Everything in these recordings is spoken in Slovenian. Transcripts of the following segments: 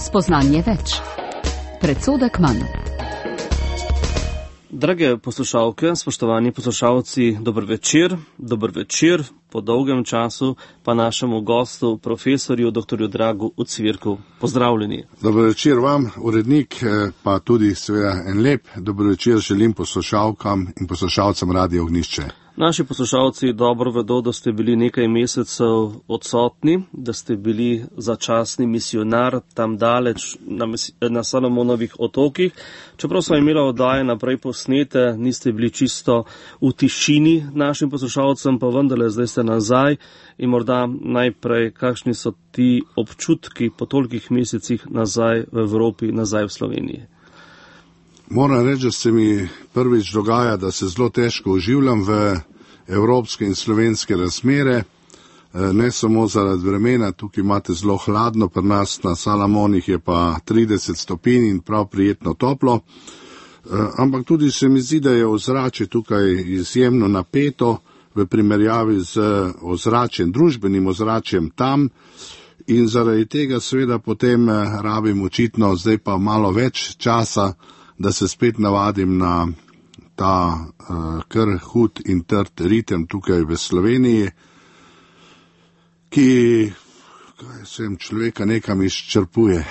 Spoznanje več. Predsodek manj. Drage poslušalke, spoštovani poslušalci, dober večer. Dober večer po dolgem času pa našemu gostu, profesorju dr. Dragu Ucvirku. Pozdravljeni. Dober večer vam, urednik, pa tudi seveda en lep dober večer želim poslušalkam in poslušalcem Radia Ognjišče. Naši poslušalci dobro vedo, da ste bili nekaj mesecev odsotni, da ste bili začasni misionar tam daleč na Salomonovih otokih. Čeprav smo imeli oddaje naprej posnete, niste bili čisto v tišini našim poslušalcem, pa vendarle zdaj ste nazaj in morda najprej, kakšni so ti občutki po tolikih mesecih nazaj v Evropi, nazaj v Sloveniji? Moram reči, da se mi prvič dogaja, da se zelo težko oživljam v evropske in slovenske razmere, ne samo zaradi vremena, tukaj imate zelo hladno, pri nas na Salamonih je pa 30 stopinj in prav prijetno toplo, ampak tudi se mi zdi, da je ozračje tukaj izjemno napeto v primerjavi z ozračjem, družbenim ozračjem tam in zaradi tega seveda potem rabim očitno zdaj pa malo več časa, da se spet navadim na ta kar hud in trd ritem tukaj v Sloveniji, ki človeka nekam izčrpuje.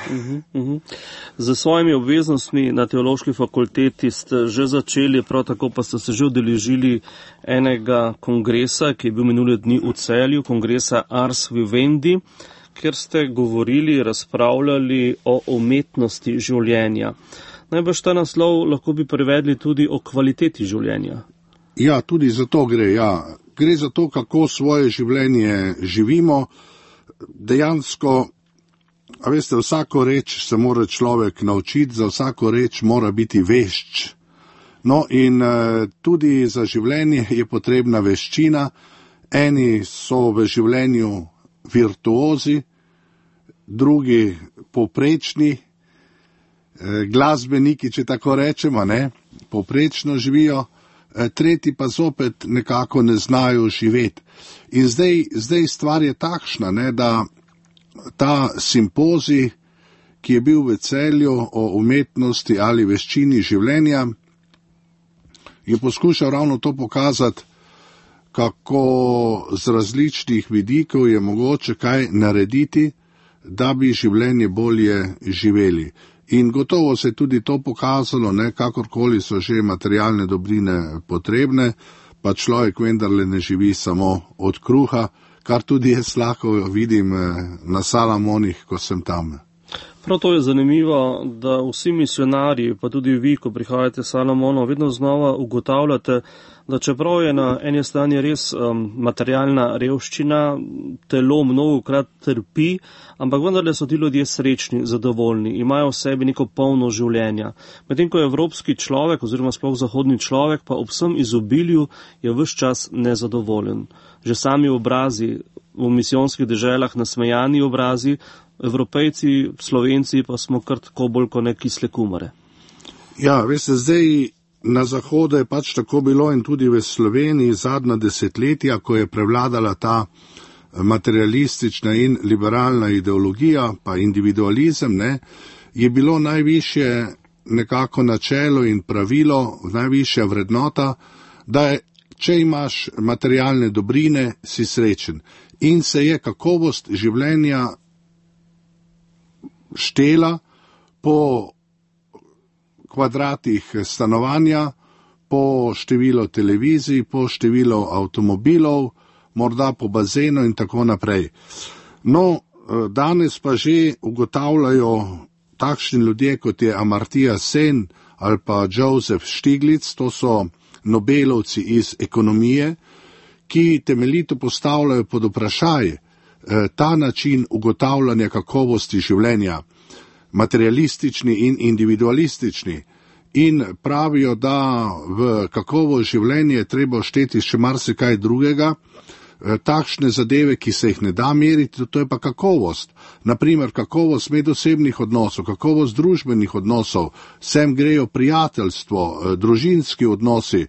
Z svojimi obveznostmi na teološki fakulteti ste že začeli, prav tako pa ste se že udeležili enega kongresa, ki je bil minuli dni v Celju, kongresa Ars Vivendi, kjer ste govorili, razpravljali o umetnosti življenja. Najbrž ta naslov lahko bi prevedli tudi o kvaliteti življenja. Ja, tudi za to gre, ja. Gre za to, kako svoje življenje živimo. Dejansko, a veste, vsako reč se mora človek naučiti, za vsako reč mora biti vešč. No in tudi za življenje je potrebna veščina. Eni so v življenju virtuozi, drugi povprečni, glasbeniki, če tako rečemo, ne, povprečno živijo, tretji pa zopet nekako ne znajo živeti. In zdaj stvar je takšna, ne, da ta simpozij, ki je bil v Celju o umetnosti ali veščini življenja, je poskušal ravno to pokazati, kako z različnih vidikov je mogoče kaj narediti, da bi življenje bolje živeli. In gotovo se je tudi to pokazalo, ne, kakorkoli so že materialne dobrine potrebne, pa človek vendarle ne živi samo od kruha, kar tudi jaz lahko vidim na Salamonih, ko sem tam. Prav to je zanimivo, da vsi misionarji, pa tudi vi, ko prihajate s Salamonov, vedno znova ugotavljate, da čeprav je na eni strani res materialna revščina, telo mnogokrat trpi, ampak vendarle so ti ljudje srečni, zadovoljni, imajo v sebi neko polno življenja. Medtem ko je evropski človek, oziroma sploh zahodni človek, pa ob vsem izobilju je ves čas nezadovoljen. Že sami obrazi v misijonskih deželah, nasmejani obrazi, Evropejci, Slovenci pa smo kar tako bolj kot kisle kumare. Ja, veste, zdaj na Zahodu je pač tako bilo in tudi v Sloveniji zadnja desetletja, ko je prevladala ta materialistična in liberalna ideologija, pa individualizem, ne, je bilo najvišje nekako načelo in pravilo, najvišja vrednota, da je, če imaš materialne dobrine, si srečen. In se je kakovost življenja štela po kvadratih stanovanja, po število televizij, po število avtomobilov, morda po bazenu in tako naprej. No, danes pa že ugotavljajo takšni ljudje, kot je Amartya Sen ali pa Joseph Stiglitz, to so Nobelovci iz ekonomije, ki temeljito postavljajo pod vprašaj ta način ugotavljanja kakovosti življenja, materialistični in individualistični, in pravijo, da v kakovost življenja je treba šteti še marsikaj drugega, takšne zadeve, ki se jih ne da meriti, to je pa kakovost. Naprimer, kakovost medosebnih odnosov, kakovost družbenih odnosov, sem grejo prijateljstvo, družinski odnosi,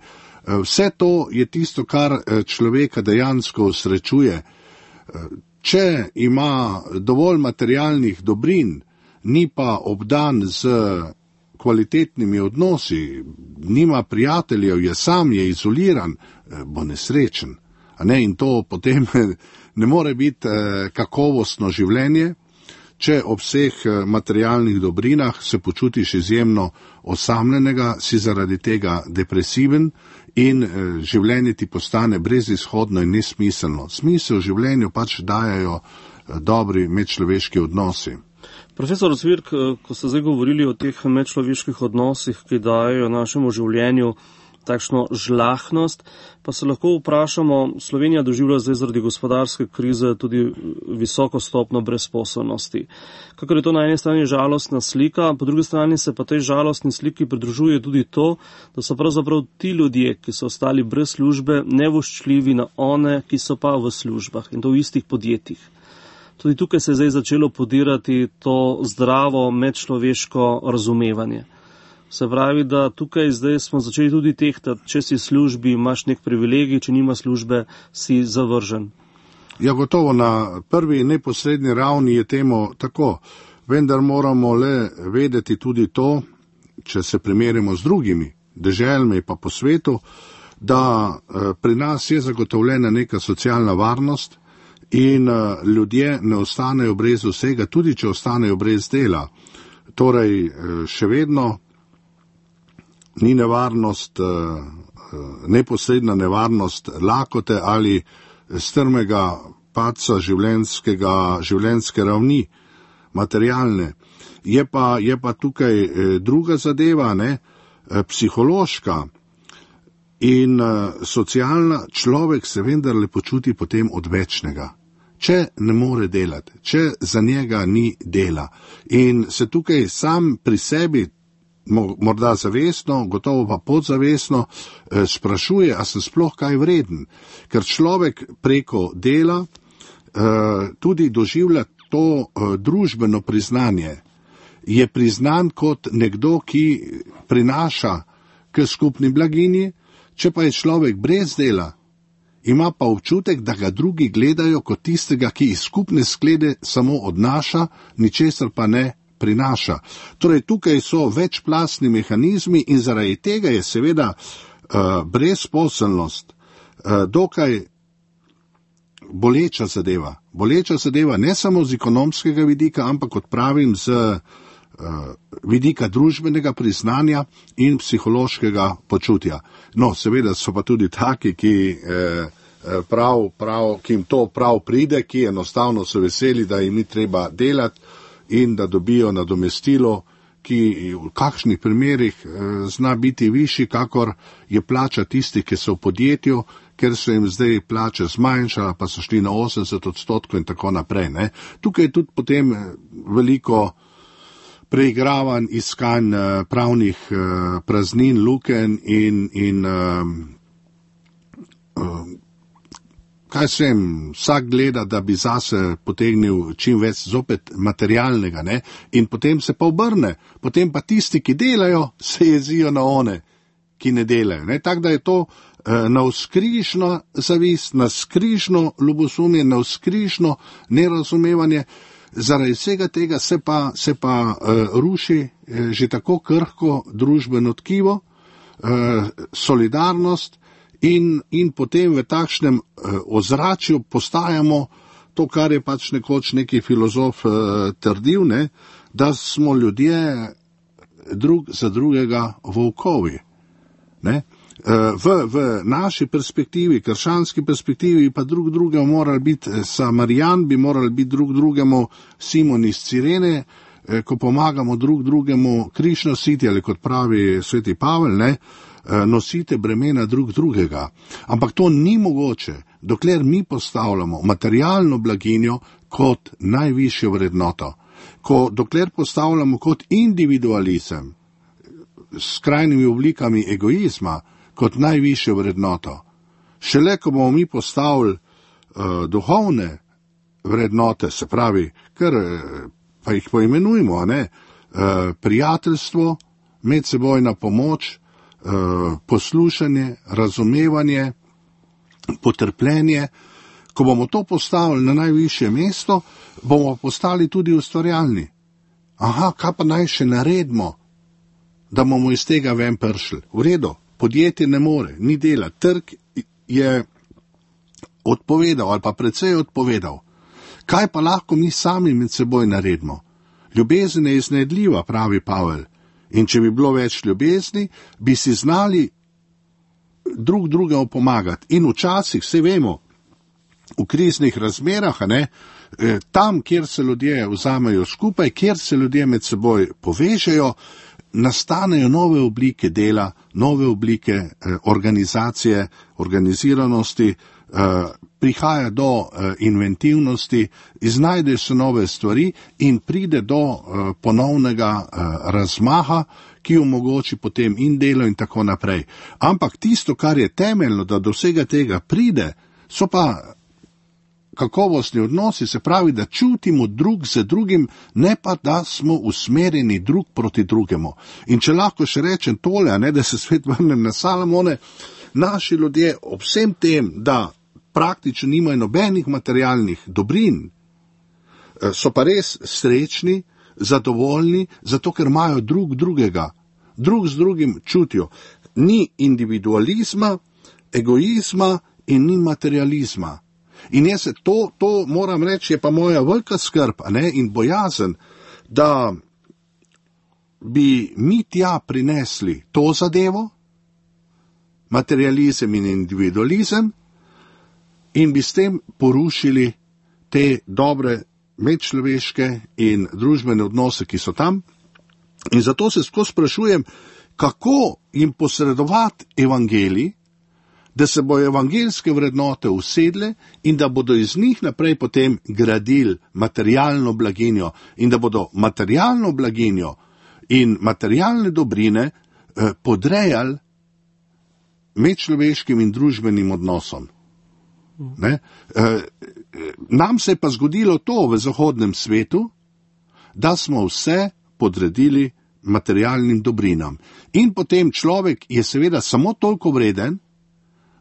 vse to je tisto, kar človeka dejansko srečuje. Če ima dovolj materialnih dobrin, ni pa obdan z kvalitetnimi odnosi, nima prijateljev, je sam, je izoliran, bo nesrečen. A ne? In to potem ne more biti kakovostno življenje, če ob vseh materialnih dobrinah se počutiš izjemno osamljenega, si zaradi tega depresiven in življenje ti postane brezizhodno in nesmiselno. Smisel življenju pač dajajo dobri medčloveški odnosi. Profesor Cvirk, ko ste zdaj govorili o teh medčloveških odnosih, ki dajo našemu življenju takšno žlahnost, pa se lahko vprašamo, Slovenija doživlja zdaj zaradi gospodarske krize tudi visoko stopnjo brezposelnosti. Kakor je to na eni strani žalostna slika, po drugi strani se pa tej žalostni sliki pridružuje tudi to, da so pravzaprav ti ljudje, ki so ostali brez službe, nevoščljivi na one, ki so pa v službah in to v istih podjetjih. Tudi tukaj se je zdaj začelo podirati to zdravo medčloveško razumevanje. Se pravi, da tukaj zdaj smo začeli tudi tehtati, če si v službi, imaš nek privilegij, če nima službe, si zavržen. Ja, gotovo na prvi neposredni ravni je temu tako, vendar moramo le vedeti tudi to, če se primerjamo z drugimi deželami pa po svetu, da pri nas je zagotovljena neka socialna varnost in ljudje ne ostanejo brez vsega, tudi če ostanejo brez dela. Torej, še vedno ni nevarnost, neposredna nevarnost lakote ali strmega padca življenjske ravni, materialne. Je pa tukaj druga zadeva, psihološka in socialna. Človek se vendarle počuti potem odvečnega, če ne more delati, če za njega ni dela. In se tukaj sam pri sebi, morda zavestno, gotovo pa podzavestno, sprašuje, a sem sploh kaj vreden. Ker človek preko dela tudi doživlja to družbeno priznanje. Je priznan kot nekdo, ki prinaša k skupni blaginji, če pa je človek brez dela, ima pa občutek, da ga drugi gledajo kot tistega, ki iz skupne sklede samo odnaša, ničesar pa ne prinaša. Torej, tukaj so večplastni mehanizmi in zaradi tega je seveda brezposelnost dokaj boleča zadeva. Boleča zadeva ne samo z ekonomskega vidika, ampak, kot pravim, z vidika družbenega priznanja in psihološkega počutja. No, seveda so pa tudi taki, ki jim to prav pride, ki enostavno so veseli, da jim ni treba delati in da dobijo nadomestilo, ki v kakšnih primerih zna biti višji, kakor je plača tistih, ki so v podjetju, ker so jim zdaj plače zmanjšala, pa so šli na 80% in tako naprej. Tukaj je tudi potem veliko preigravanj, iskanj pravnih praznin, lukenj in kaj sem, vsak gleda, da bi zase potegnil čim več zopet materialnega, in potem se pa obrne. Potem pa tisti, ki delajo, se jezijo na one, ki ne delajo. Tako da je to navzkrižna zavist, navzkrižno ljubosumje, navzkrižno nerazumevanje. Zaradi vsega tega se pa ruši že tako krhko družbeno tkivo, solidarnost, in potem v takšnem ozračju postajamo to, kar je pač nekoč neki filozof trdil, da smo ljudje drug za drugega volkovi. V naši perspektivi, krščanski perspektivi, pa drug drugemu morali biti Samarijan, bi morali biti drug drugemu Simon iz Cirene, ko pomagamo drug drugemu križ nositi, ali kot pravi sveti Pavel, nosite bremena drug drugega. Ampak to ni mogoče, dokler mi postavljamo materialno blaginjo kot najvišjo vrednoto. Dokler postavljamo kot individualizem s skrajnimi oblikami egoizma kot najvišjo vrednoto. Šele ko bomo mi postavili duhovne vrednote, se pravi, kar pa jih poimenujemo, prijateljstvo, medsebojna pomoč, poslušanje, razumevanje, potrpljenje. Ko bomo to postavili na najvišje mesto, bomo postali tudi ustvarjalni. Aha, kaj pa naj še naredimo, da bomo iz tega ven prišli? V redu, podjetje ne more, ni dela, trg je odpovedal ali pa precej odpovedal. Kaj pa lahko mi sami med seboj naredimo? Ljubezen je iznajdljiva, pravi Pavel. In če bi bilo več ljubezni, bi si znali drug drugemu pomagati. In včasih, vse vemo, v kriznih razmerah, tam, kjer se ljudje vzamejo skupaj, kjer se ljudje med seboj povežejo, nastanejo nove oblike dela, nove oblike organizacije, organiziranosti, prihaja do inventivnosti, iznajdejo se nove stvari in pride do ponovnega razmaha, ki omogoči potem in delo in tako naprej. Ampak tisto, kar je temeljno, da do vsega tega pride, so pa kakovostni odnosi, se pravi, da čutimo drug za drugim, ne pa da smo usmerjeni drug proti drugemu. In če lahko še rečem tole, da se svet vrnem na Salomone, naši ljudje ob vsem tem, da praktično nimajo nobenih materialnih dobrin, so pa res srečni, zadovoljni, zato ker imajo drug drugega, drug z drugim čutijo. Ni individualizma, egoizma in ni materializma. In jaz to moram reči, je pa moja velika skrb, in bojazen, da bi mi tja prinesli to zadevo, materializem in individualizem, in bi s tem porušili te dobre medčloveške in družbene odnose, ki so tam. In zato se skozi sprašujem, kako jim posredovati evangelij, da se bodo evangeljske vrednote usedle in da bodo iz njih naprej potem gradili materialno blaginjo in da bodo materialno blaginjo in materialne dobrine podrejali medčloveškim in družbenim odnosom. Nam se je pa zgodilo to v zahodnem svetu, da smo vse podredili materialnim dobrinam. In potem človek je seveda samo toliko vreden,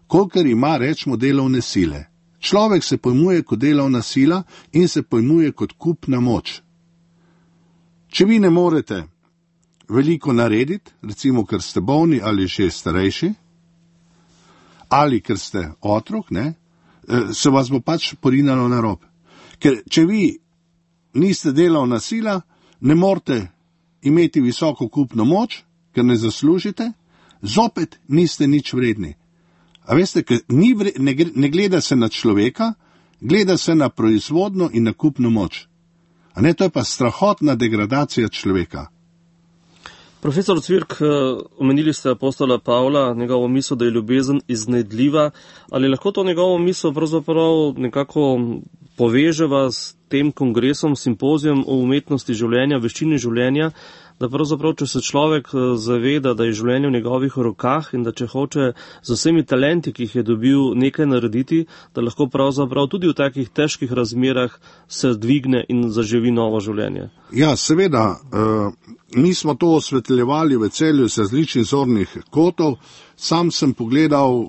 kolikor ima, rečemo, delovne sile. Človek se pojmuje kot delovna sila in se pojmuje kot kupna moč. Če vi ne morete veliko narediti, recimo, ker ste bolni ali že starejši, ali ker ste otrok, se vas bo pač porinalo na rob. Ker če vi niste delovna sila, ne morete imeti visoko kupno moč, ker ne zaslužite, zopet niste nič vredni. A veste, ne gleda se na človeka, gleda se na proizvodno in na kupno moč. To je pa strahotna degradacija človeka. Profesor Cvirk, omenili ste apostola Pavla, njegovo misel, da je ljubezen iznajdljiva. Ali lahko to njegovo misel pravzaprav nekako poveževa s tem kongresom, simpozijem o umetnosti življenja, veščini življenja, da pravzaprav, če se človek zaveda, da je življenje v njegovih rokah in da če hoče z vsemi talenti, ki jih je dobil, nekaj narediti, da lahko pravzaprav tudi v takih težkih razmerah se dvigne in zaživi novo življenje. Ja, seveda, mi smo to osvetljevali v Celju z različnih zornih kotov. Sam sem pogledal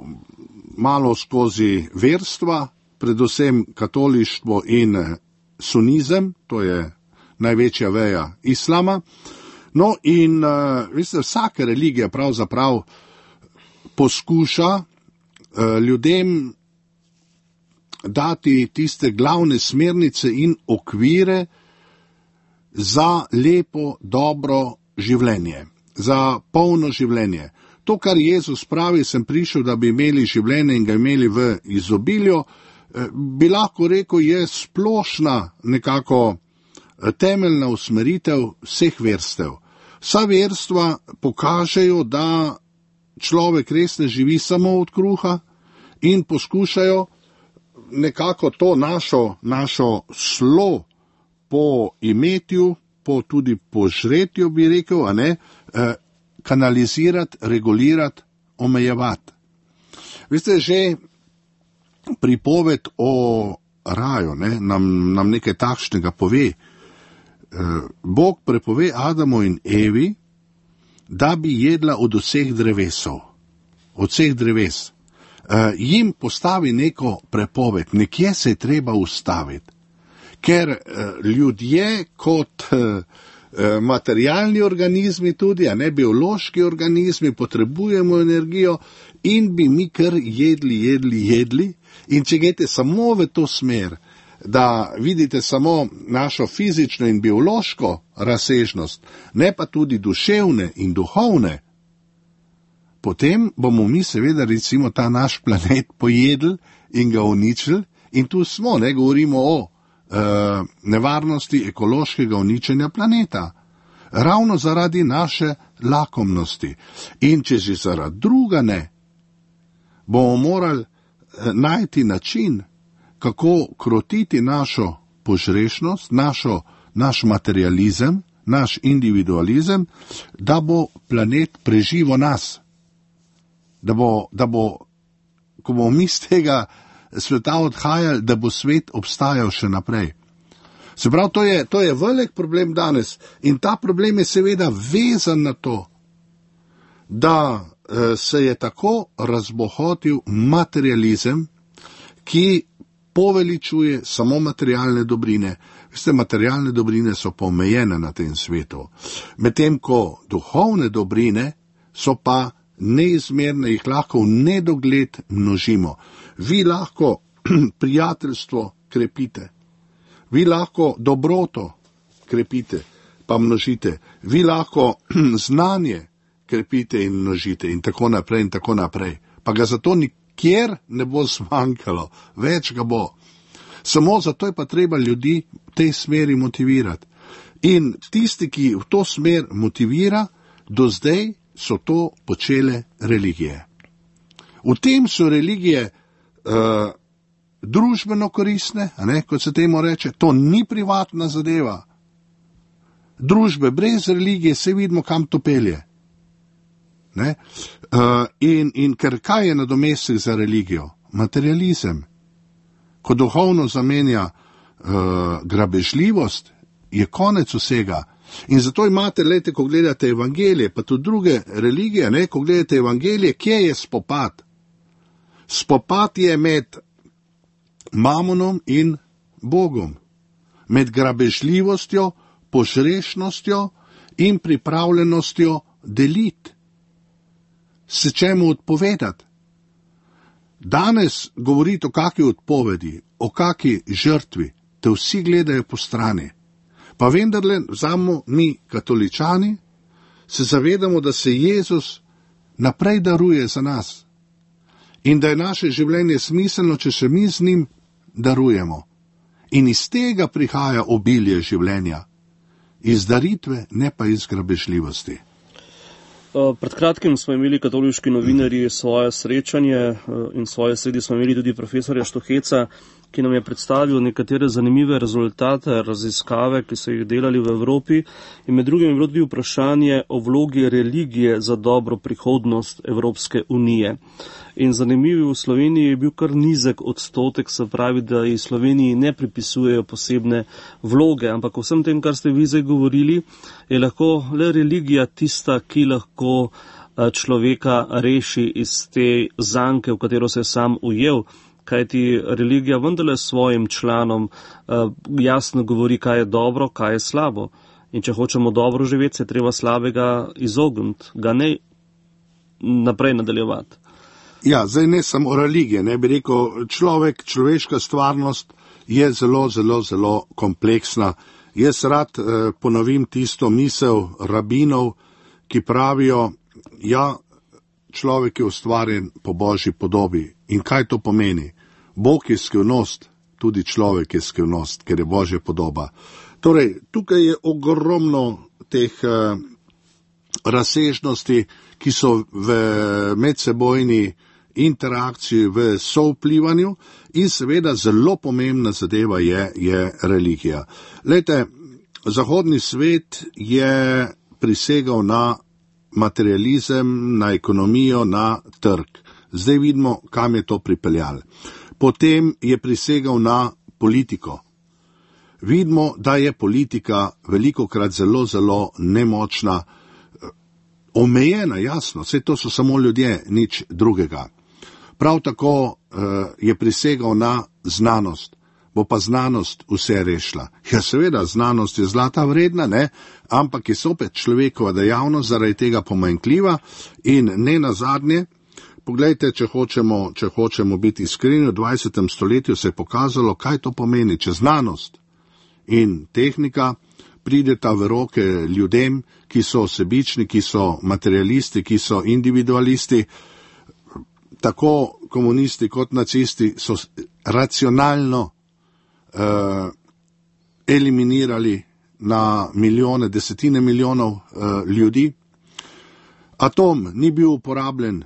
malo skozi verstva, predvsem katolištvo in sunizem, to je največja veja islama. No in veste, vsaka religija pravzaprav poskuša ljudem dati tiste glavne smernice in okvire za lepo, dobro življenje, za polno življenje. To, kar Jezus pravi, sem prišel, da bi imeli življenje in ga imeli v izobilju, bi lahko rekel, je splošna nekako temeljna usmeritev vseh verstev. Vsa verstva pokažejo, da človek res ne živi samo od kruha in poskušajo nekako to našo slo po imetju, tudi po žretju, bi rekel, kanalizirati, regulirati, omejevati. Veste, že pripoved o raju nam nekaj takšnega pove. Bog prepove Adamu in Evi, da bi jedla od vseh drevesov, od vseh dreves. Jim postavi neko prepoved, nekje se je treba ustaviti, ker ljudje kot materialni organizmi tudi, a ne biološki organizmi, potrebujemo energijo in bi mi kar jedli. In če greste samo v to smer, da vidite samo našo fizično in biološko razsežnost, ne pa tudi duševne in duhovne, potem bomo mi seveda recimo ta naš planet pojedli in ga uničili in tu smo, ne govorimo o nevarnosti ekološkega uničenja planeta. Ravno zaradi naše lakomnosti. In če že zaradi druga ne, bomo morali najti način, kako krotiti našo požrešnost, naš materializem, naš individualizem, da bo planet preživel nas. Da bo, ko bomo mi z tega sveta odhajali, da bo svet obstajal še naprej. Se pravi, to je velik problem danes in ta problem je seveda vezan na to, da se je tako razbohotil materializem, ki poveličuje samo materialne dobrine. Veste, materialne dobrine so pa omejene na tem svetu. Medtem ko duhovne dobrine so pa neizmerne, jih lahko v nedogled množimo. Vi lahko prijateljstvo krepite, vi lahko dobroto krepite, pa množite, vi lahko znanje krepite in množite in tako naprej. Pa ga zato nikjer ne bo zmanjkalo, več ga bo. Samo zato je pa treba ljudi v tej smeri motivirati. In tisti, ki v to smer motivira, do zdaj so to počele religije. V tem so religije družbeno koristne, a ne, kot se temu reče, to ni privatna zadeva. Družbe brez religije se vidimo, kam to pelje. Ne? In ker kaj je nadomestek za religijo? Materializem. Ko duhovno zamenja grabežljivost, je konec vsega. In zato imate, lejte, ko gledate evangelije, pa tudi druge religije, ne, ko gledate evangelije, kje je spopad? Spopad je med mamonom in Bogom, med grabežljivostjo, požrešnostjo in pripravljenostjo deliti, se čemu odpovedati. Danes govoriti o kakšni odpovedi, o kakšni žrtvi, te vsi gledajo po strani. Pa vendarle, vzamo mi, katoličani, se zavedamo, da se Jezus naprej daruje za nas in da je naše življenje smiselno, če se mi z njim darujemo. In iz tega prihaja obilje življenja, iz daritve, ne pa iz grabežljivosti. Pred kratkim smo imeli katoliški novinarji svoje srečanje in svoje sredi smo imeli tudi profesorja Štuheca, ki nam je predstavil nekatere zanimive rezultate raziskave, ki so jih delali v Evropi. In med drugim je bilo tudi vprašanje o vlogi religije za dobro prihodnost Evropske unije. In zanimivo, v Sloveniji je bil kar nizek odstotek, se pravi, da iz Sloveniji ne pripisujejo posebne vloge, ampak vsem tem, kar ste vi zdaj govorili, je lahko le religija tista, ki lahko človeka reši iz te zanke, v katero se je sam ujel, kajti religija vendarle svojim članom jasno govori, kaj je dobro, kaj je slabo. In če hočemo dobro živeti, se treba slabega izogniti, ga ne naprej nadaljevati. Ja, zdaj ne samo religije, ne bi rekel, človeška stvarnost je zelo kompleksna. Jaz rad ponovim tisto misel rabinov, ki pravijo, ja, človek je ustvarjen po Božji podobi. In kaj to pomeni? Bog je skrivnost, tudi človek je skrivnost, ker je Božja podoba. Torej, tukaj je ogromno teh razsežnosti, ki so v medsebojni interakciji, v sovplivanju in seveda zelo pomembna zadeva je religija. Glejte, zahodni svet je prisegal na materializem, na ekonomijo, na trg. Zdaj vidimo, kam je to pripeljalo. Potem je prisegal na politiko. Vidimo, da je politika velikokrat zelo nemočna, omejena, jasno, vse to so samo ljudje, nič drugega. Prav tako je prisegal na znanost. bo pa znanost vse rešila. Ja, seveda, znanost je zlata vredna, ne, ampak je sopet človekova dejavnost zaradi tega pomanjkljiva in ne nazadnje, poglejte, če hočemo biti iskreni, v 20. stoletju se je pokazalo, kaj to pomeni, če znanost in tehnika prideta v roke ljudem, ki so sebični, ki so materialisti, ki so individualisti, tako komunisti kot nacisti so racionalno eliminirali na milijone, desetine milijonov ljudi. Atom ni bil uporabljen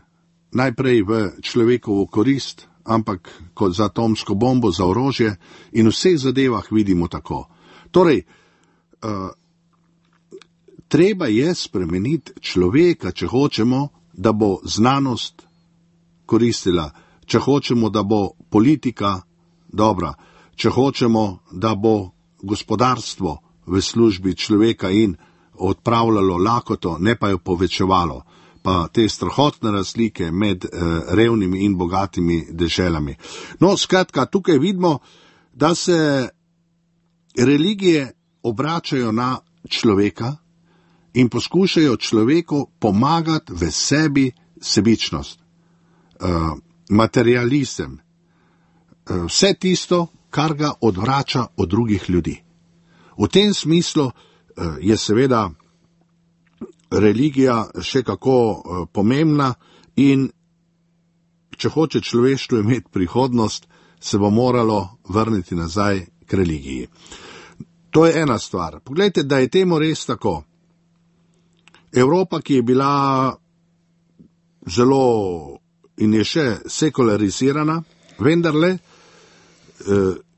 najprej v človekovo korist, ampak kot za atomsko bombo, za orožje in v vseh zadevah vidimo tako. Torej, treba je spremeniti človeka, če hočemo, da bo znanost koristila, če hočemo, da bo politika dobra, če hočemo, da bo gospodarstvo v službi človeka in odpravljalo lakoto, ne pa jo povečevalo, pa te strahotne razlike med revnimi in bogatimi deželami. No, skratka, tukaj vidimo, da se religije obračajo na človeka in poskušajo človeku pomagati v sebi sebičnost, materializem, vse tisto, kar ga odvrača od drugih ljudi. V tem smislu je seveda religija še kako pomembna in če hoče človeštvo imeti prihodnost, se bo moralo vrniti nazaj k religiji. To je ena stvar. Poglejte, da je temu res tako. Evropa, ki je bila zelo in je še sekularizirana, vendarle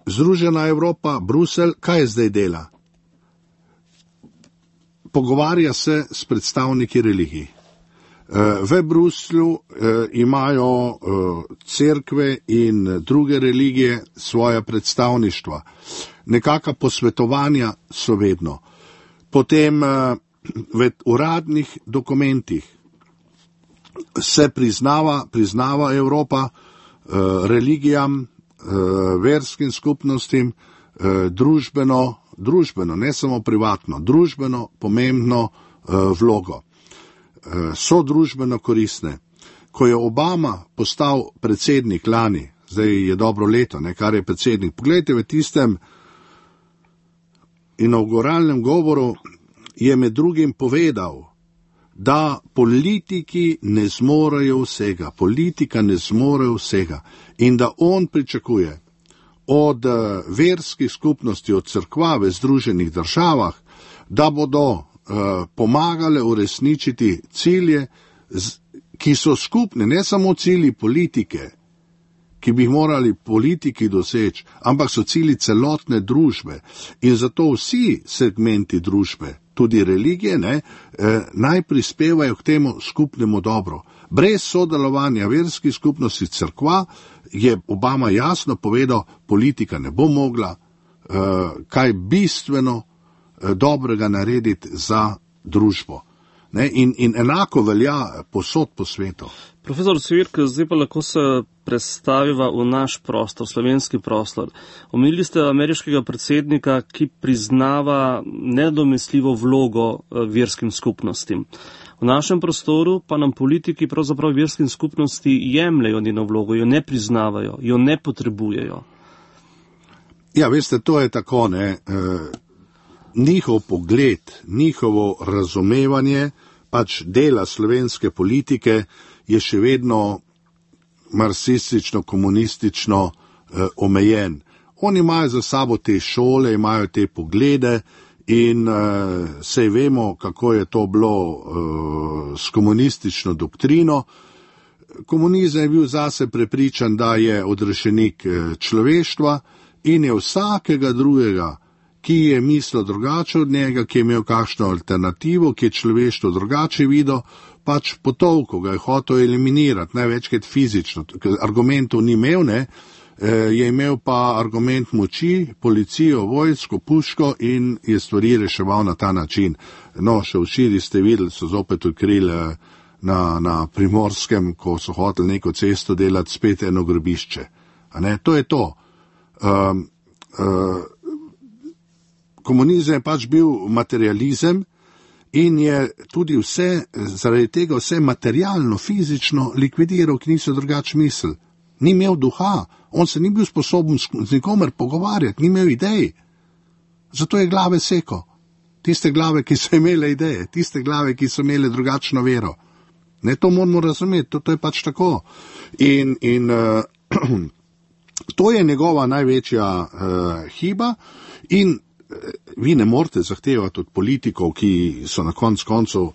Združena Evropa, Bruselj, kaj zdaj dela? Pogovarja se s predstavniki religij. V Bruslju imajo cerkve in druge religije svoja predstavništva. Nekaka posvetovanja so vedno. Potem v uradnih dokumentih se priznava Evropa religijam, verskim skupnostim, družbeno, ne samo privatno, družbeno pomembno vlogo. So družbeno koristne. Ko je Obama postal predsednik lani, zdaj je dobro leto, kar je predsednik, poglejte, v tistem inauguralnem govoru je med drugim povedal, da politiki ne zmorejo vsega, politika ne zmore vsega in da on pričakuje od verskih skupnosti, od cerkva v Združenih državah, da bodo pomagale uresničiti cilje, ki so skupne, ne samo cilji politike, ki bi jih morali politiki doseči, ampak so cilji celotne družbe in zato vsi segmenti družbe, tudi religije, naj prispevajo k temu skupnemu dobro. Brez sodelovanja verskih skupnosti cerkva je Obama jasno povedal, politika ne bo mogla kaj bistveno dobrega narediti za družbo. In enako velja posod po svetu. Profesor Cvirk, zdaj pa lahko se predstaviva v naš prostor, slovenski prostor. Omenili ste ameriškega predsednika, ki priznava nedomestljivo vlogo verskim skupnostim. V našem prostoru pa nam politiki pravzaprav verskim skupnosti jemljajo njeno vlogo, jo ne priznavajo, jo ne potrebujejo. Ja, veste, to je tako, njihov pogled, njihovo razumevanje pač dela slovenske politike je še vedno marksistično, komunistično omejen. Oni imajo za sabo te šole, imajo te poglede in sej vemo, kako je to bilo s komunistično doktrino. Komunizem je bil zase prepričan, da je odrešenik človeštva in je vsakega drugega, ki je mislil drugače od njega, ki je imel kakšno alternativo, ki je človeštvo drugače videl, pač potolko ga je hotel eliminirati, največkrat fizično, ker argumentov ni imel, je imel pa argument moči, policijo, vojsko, puško in je stvari reševal na ta način. No, še včeraj ste videli, so zopet odkrili na Primorskem, ko so hoteli neko cesto delati, spet eno grobišče. To je to. komunizem je pač bil materializem in je tudi zaradi tega vse materialno, fizično likvidiral, ki niso drugače misli. Ni imel duha, on se ni bil sposoben z nikomer pogovarjati, ni imel idej. Zato je glave seko. Tiste glave, ki so imele ideje, tiste glave, ki so imele drugačno vero. Ne, to moramo razumeti, to je pač tako. In to je njegova največja hiba in vi ne morete zahtevati od politikov, ki so na koncu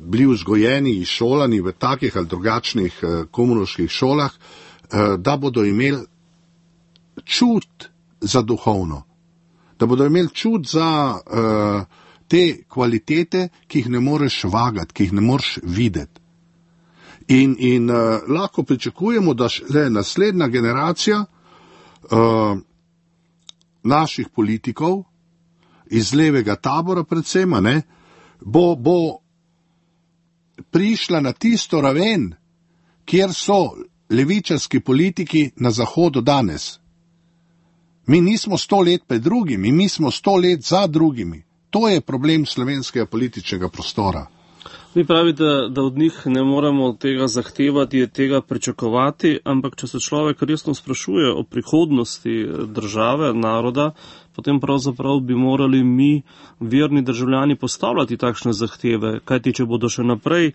bili vzgojeni, izšolani v takih ali drugačnih komunoških šolah, da bodo imeli čut za duhovno, da bodo imeli čut za te kvalitete, ki jih ne moreš vagati, ki jih ne moreš videti. In lahko pričakujemo, da naslednja generacija naših politikov iz levega tabora predvsem, bo prišla na tisto raven, kjer so levičarski politiki na Zahodu danes. Mi nismo 100 let pred drugimi, mi smo 100 let za drugimi. To je problem slovenskega političnega prostora. Vi pravite, da od njih ne moremo tega zahtevati, tega pričakovati, ampak če se človek resno sprašuje o prihodnosti države, naroda, potem pravzaprav bi morali mi, verni državljani, postavljati takšne zahteve, kajti če bodo še naprej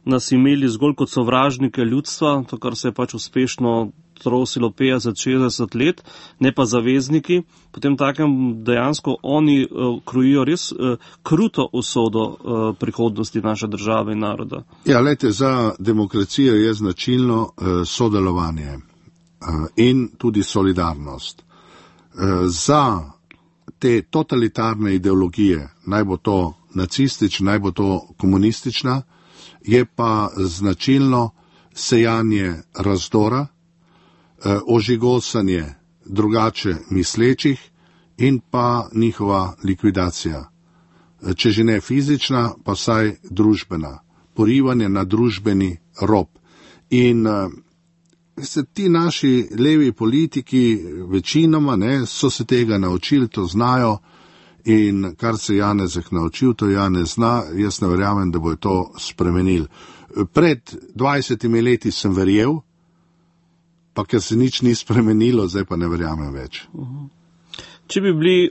nas imeli zgolj kot sovražnike ljudstva, to, kar se je pač uspešno trosilo 50-60 let, ne pa zavezniki, potem takem dejansko oni krojijo res kruto usodo prihodnosti naše države in naroda. Ja, lejte, za demokracijo je značilno sodelovanje in tudi solidarnost. Za te totalitarne ideologije, naj bo to nacistična, naj bo to komunistična, je pa značilno sejanje razdora, ožigosanje drugače mislečih in pa njihova likvidacija. Če že ne fizična, pa vsaj družbena. Porivanje na družbeni rob. In ti naši levi politiki večinoma so se tega naučili, to znajo, in kar se Janezek naučil, to Janez zna, jaz ne verjamem, da bo to spremenil. Pred 20 leti sem verjel, pa ker se nič ni spremenilo, zdaj pa ne verjamem več. Če bi bili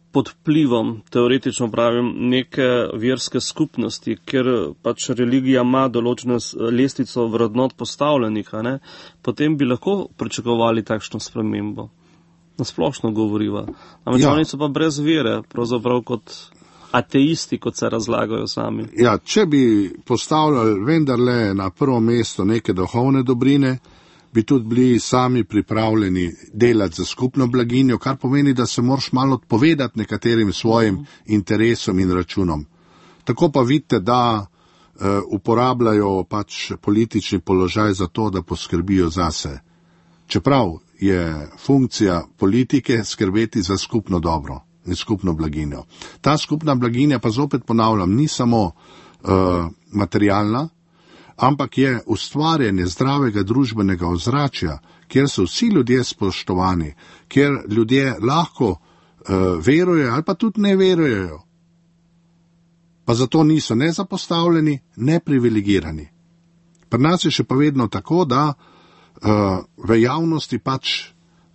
pod vplivom, teoretično pravim, neke verske skupnosti, ker pač religija ima določeno lestvico vrednot postavljenih, potem bi lahko pričakovali takšno spremembo. Nasplošno govoriva. Ampak oni so pa brez vere, pravzaprav kot ateisti, kot se razlagajo sami. Ja, če bi postavljali vendarle na prvo mesto neke duhovne dobrine, bi tudi bili sami pripravljeni delati za skupno blaginjo, kar pomeni, da se moraš malo odpovedati nekaterim svojim interesom in računom. Tako pa vidite, da uporabljajo pač politični položaj za to, da poskrbijo zase. Čeprav je funkcija politike skrbeti za skupno dobro in skupno blaginjo. Ta skupna blaginja, pa zopet ponavljam, ni samo materialna, ampak je ustvarjanje zdravega družbenega ozračja, kjer so vsi ljudje spoštovani, kjer ljudje lahko verujejo ali pa tudi ne verujejo. Pa zato niso ne zapostavljeni, ne privilegirani. Pri nas je še pa vedno tako, da v javnosti pač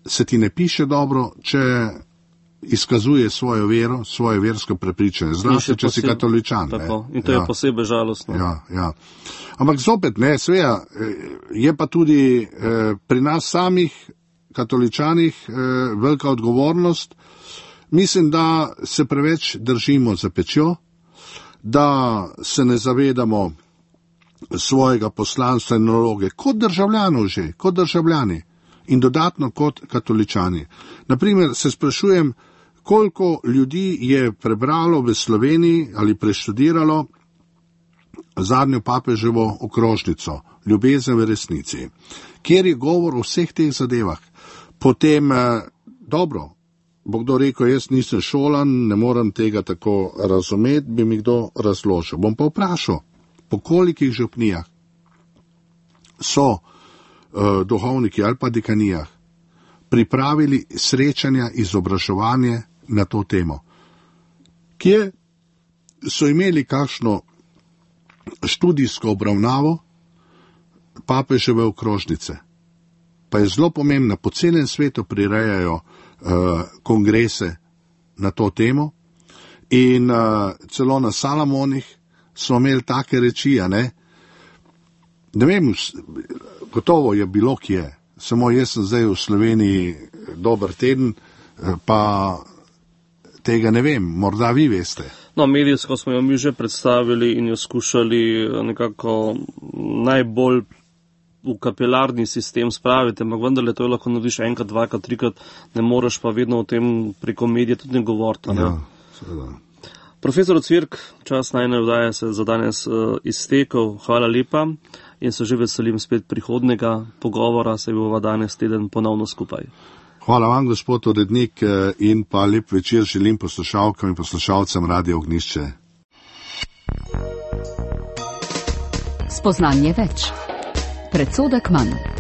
se ti ne piše dobro, če izkazuje svojo vero, svoje versko prepričanje, zlasti, če si katoličan. Tako, in to je posebej žalostno. Ja. Ampak zopet, seveda, je pa tudi pri nas samih katoličanih velika odgovornost. Mislim, da se preveč držimo za pečjo, da se ne zavedamo svojega poslanstva in naloge, kot državljani in dodatno kot katoličani. Naprimer, se sprašujem, koliko ljudi je prebralo v Sloveniji ali preštudiralo zadnjo papeževo okrožnico, Ljubezen v resnici, kjer je govor o vseh teh zadevah. Potem, dobro, bo kdo rekel, jaz nisem šolan, ne morem tega tako razumeti, bi mi kdo razložil. Bom pa vprašal, po kolikih župnijah so duhovniki ali pa dekanijah pripravili srečanja, izobraževanje na to temo, kjer so imeli kakšno študijsko obravnavo papeževe okrožnice. Pa je zelo pomembno, po celem svetu prirejajo kongrese na to temo in celo na Salamonih so imeli take reči, ne vem, gotovo je bilo kje, samo jaz sem zdaj v Sloveniji dober teden, pa tega ne vem, morda vi veste. No, medijsko smo jo mi že predstavili in jo skušali nekako najbolj v kapilarni sistem spraviti, ampak vendarle to lahko narediš enkrat, dvakrat, trikrat, ne moreš pa vedno o tem preko medija tudi ne govoriti. Ja, seveda. Profesor Cvirk, čas najine vdaje se za danes iztekel, hvala lepa in se že veselim spet prihodnega pogovora, se bova danes teden ponovno skupaj. Hvala vam, gospod urednik, in pa lep večer želim poslušalkam in poslušalcem Radia Ognjišče. Spoznanje več. Predsodek manj.